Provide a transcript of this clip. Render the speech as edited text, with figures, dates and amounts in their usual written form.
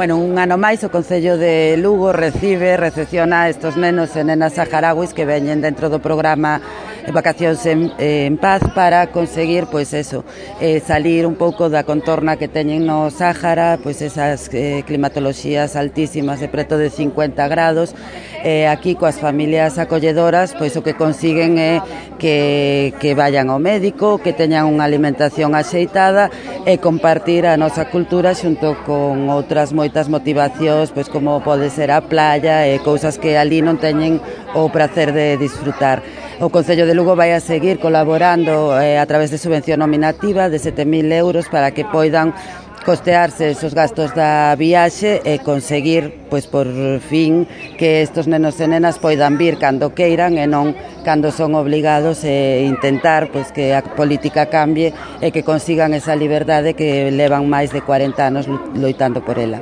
Bueno, un ano máis o Concello de Lugo recepciona a estos nenos e nenas saharauis que veñen dentro do programa Vacacións en Paz para conseguir, pois eso, salir un pouco da contorna que teñen no Sáhara, pois esas climatoloxías altísimas de preto de 50 grados. Aquí coas familias acolledoras, pois o que consiguen é que vayan ao médico, que teñan unha alimentación axeitada e compartir a nosa cultura xunto con outras moitas motivacións, pois como pode ser a playa e cousas que ali non teñen o prazer de disfrutar. O Concello de Lugo vai a seguir colaborando a través de subvención nominativa de 7.000 euros para que poidan costearse esos gastos da viaxe e conseguir, pois por fin, que estos nenos e nenas poidan vir cando queiran e non cando son obligados, e intentar pois que a política cambie e que consigan esa liberdade que levan máis de 40 anos loitando por ela.